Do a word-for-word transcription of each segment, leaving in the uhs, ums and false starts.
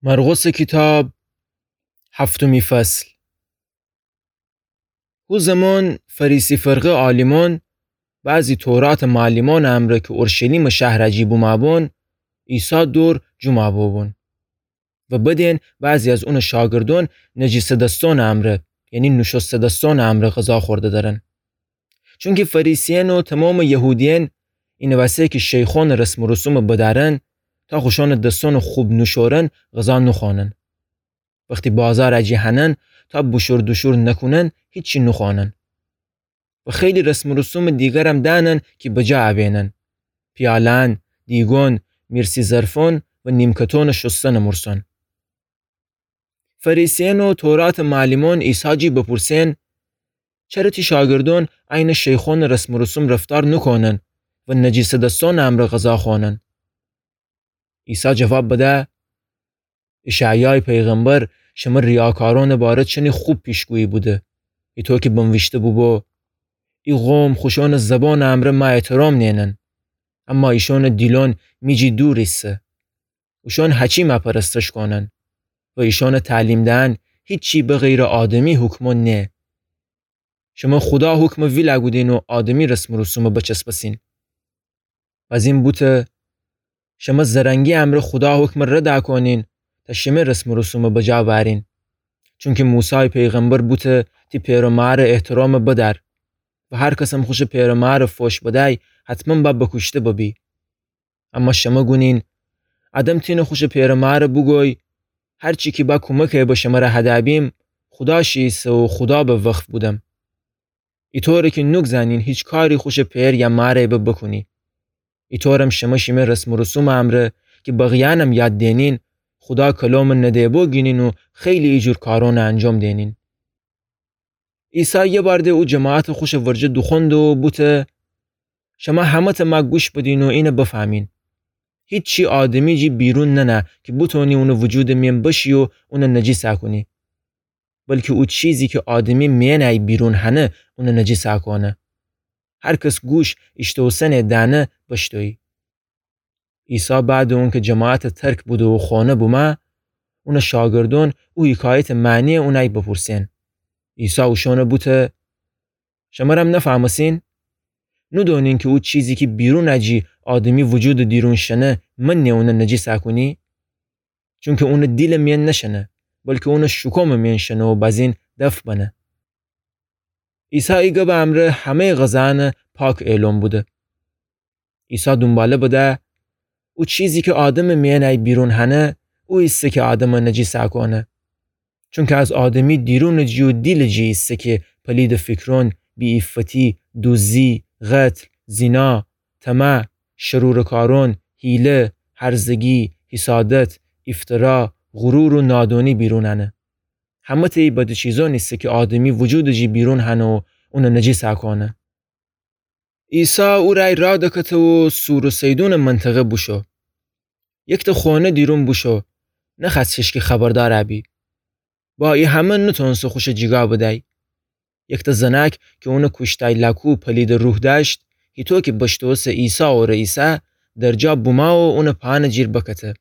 مرقسٚ کیتاب، هفتمی فصل. هو زمان فریسی فرقه عالیمأن، بعضی توراتٚ معلمأنٚ امرأ کی اورشلیمٚ شهر جی بومأبون، عیسی دور جومأ بوبون. و بدین بعضی از اونٚ شاگردأن نجیسه دستأنٚ امرأ، یعنی نوشسته دستأنٚ امرأ غذا خورده درن. چونکی فریسیأن و تومامٚ یهودیأن اینٚ وسه کی شیخأنٚ رسم و رسومٚ بدأرن، تا خوشأنٚ دستأنٚ خوب نوشورن غذا نوخوأنن. وختی بازارٚ جی هنن، تا بوشور دوشور نکونن، هیچی نوخوأنن. و خیلی رسم و رسومٚ دیگرم دأنن کی بجا ابینن. پیالأن، دیگون، میرسی ظرفأن و نیمکتأنٚ شوستنٚ مورسأن. فریسیأن و توراتٚ معلمأن عیسی جی بپورسین: چره تی شاگردأن عینٚ شیخأنٚ رسم و رسوم رفتار نوکونن و نجیسه دستأنٚ امرأ غذا خوأنن؟ عیسی جواب بده: اشعیایٚ پیغمبر شمر ریاکارأنٚ باره چنی خوب پیشگویی بوده. ایطو کی بنویشته بوبو: ای قوم خوشأنٚ زبانٚ امرأ مه احترام نیئنن، اما ایشأنٚ دیلأن می جی دور ایسه. اوشأن هچی مه پرستش کونن و ایشأنٚ تعلیم دئن هیچی بغیرٚ آدمی حکمأن نه. شمر خودا حکمٚ ویل اگودین و آدمی رسم و رسومٚ بچسبسین. بزین بوته: شمر زرنگی امرأ خودا حکمٚ رد اکونین تا شمه رسم و رسومٚ بجا بأرین. چونکی موسایٚ پیغمبر بوته: تی پئر و مارٚ احترامٚ بدأر. و هر کسم خوشٚ پئر و مارٚ فوش بدأی، حتماً با بکوشته ببی. اما شمه گونین: آدم تینه خوشٚ پئر و مارٚ بوگوی: هر چی کی با کومکٚ ایبه شمره هدأ بیم، خودا شی ایسه و خودا به وقف بودم. ایطوره کی نوک زنین هیچ کاری خوشٚ پئر یا مارٚ ایبه بکونی. ایطورم شمه شیمه رسم و رسومٚ امرأ کی بقیه‌یأنم یاد دئنین، خودا کلامٚ نده‌بو گینین و خیلی ایجور کارأنٚ انجام دئنین. عیسی یه بار ده او جماعتٚ خوشٚ ورجه دوخوأنده و بوته: شمه همه‌تأ مه گوش بدین و اینه بفهمین. هیچی آدمی جی بیرون ننه کی بوتونی اونٚ وجودٚ میأن بشی و اونه نجیسأ کونی. بلکی او چیزی کی آدمی میأنٚ ای بیرون هنه، اونه نجیسأ کونه. هر کس گوش ایشتوسنه دأنه بشتویی. عیسی بعدٚ اونکی جماعتٚ ترک بوده و خونه بومه، اونٚ شاگردأن او حکایتٚ معنی‌یه اونأی بپورسین. عیسی اوشأنه بوته: شمرم نفهمسین؟ نودونین کی او چیزی کی بیرونٚ جی آدمی وجودٚ دیرون شنه، منی اونه نجیسأ کونی؟ چونکی اونٚ دیلٚ میأن نشنه، بلکی اونٚ شوکومٚ میأن شنه و بزین دفع بنه. عیسی ای گبٚ امرأ همه‌یٚ غذایأنٚ پاک اعلام بوده. عیسی دونباله بده: او چیزی کی آدمٚ میأنٚ ای بیرون هنه، او ایسه کی آدمٚ نجیسأ کونه. چونکی از آدمی دیرونٚ جی و دیلٚ جی ایسه کی پلیدٚ فیکرون، بی‌عفتی، دوزی، قتل، زینا، طمع، شرورٚ کارون، حیله، هرزگی، حسادت، افترا، غرور و نادونی بیرون انه. همه‌تأ ای بدٚ چیزون ایسه کی آدمی وجودٚ جی بیرون هنه و اونه نجیسأ کونه. عیسی او رأی راه دکته و صور و صیدونٚ منطقه بوشو. یکتأ خونه دیرون بوشو، نخوأست هیچکی خبردار ابی. با ای همه نتونسه خوشٚ جیگا بدأی. یکتأ زنأک کی اونٚ کوشتأی لاکو پلیدٚ روح دأشت، هیطو کی بشتوسه عیسی اوره ایسه، درجا بومه و اونٚ پاهنٚ جیر بکته.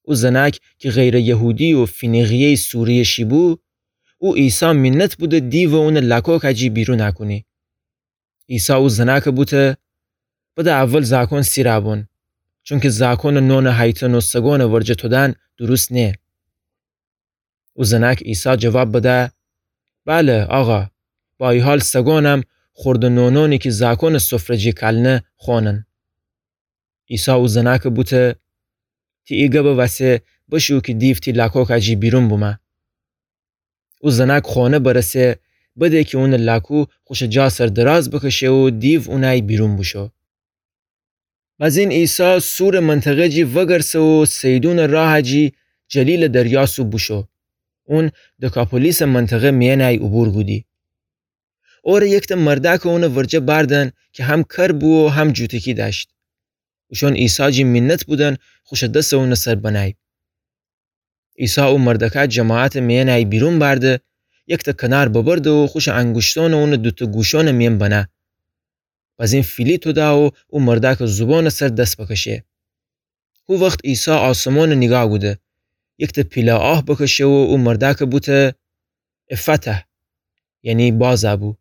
او زنأک کی غیرٚ یهودی و فینیقیه‌یٚ سوریه شی بو، او عیسی مینت بوده دیوٚ اونٚ لاکوکٚ جی بیرون اکونی. عیسی او زنأکٚ بوته: بده اول زأکون سیرَ بون، چونکی زأکونٚ نونٚ هیتن و سگونٚ ورجه تودن دوروست نیه. او زنأکٚ عیسی جواب بده: بله، آقا، با ای حال سگونم خوردٚ نونونی کی زأکونٚ سفره جی کالنه خونن. عیسی او زنأکٚ بوته: تی ای گبٚ وسه بشو کی دیو تی لاکوکٚ جی بیرون بومه. او زنأک خونه برسه، بده کی اونٚ لاکو خوشٚ جا سر دراز بکشه و دیو اونأی بیرون بوشو. بزین عیسی صورٚ منطقه جی وگرسه و صیدونٚ راهٚ جی جلیلٚ دریا سو بوشو. اون دکاپولیسٚ منطقه میأنٚ ای عبور کودی. اوره یکتأ مردأکٚ اونٚ ورجه بأردن کی هم کر بو و هم جوتیکی دأشت. اوشون عیسی جی مینت بودن خوشٚ دسٚ اونٚ سر بنأی. عیسی او مردأکه جماعتٚ میأنٚ ای بیرون بأرده، یکتأ کنار ببرده و خوشٚ انگوشتونٚ اونٚ دوتأ گوشونٚ میأن بنه. بزین فیلی توده و او مردأکٚ زوبونٚ سر دس بکشه. هو وخت عیسی آسمونٚ نیگاه کوده. یکتأ پیله آه بکشه و او مردأکه بوته: «افته»، یعنی باز بو.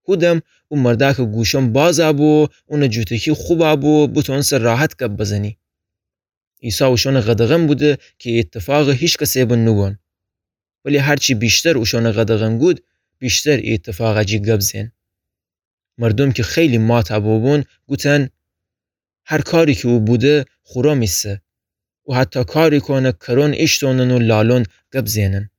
هودم او مردأکٚ گوشأن باز بو و اونٚ جوتکی خو بو و بوتوأنسه راحت گب بزنی. عیسی اوشأنٚ قدغن بوده کی ای ایتفاقه هیچ کسه به نوگون. ولی هرچی ویشتر اوشأنٚ قدغن گود، ویشتر ای ایتفاقه جی گب زئن. مردوم کی خیلی مات بوبون گوتن: «هر کاری کی او بوده خورم ایسه. او حتی کاری کونه کرون ایشتونن و لالون گب زئنن.»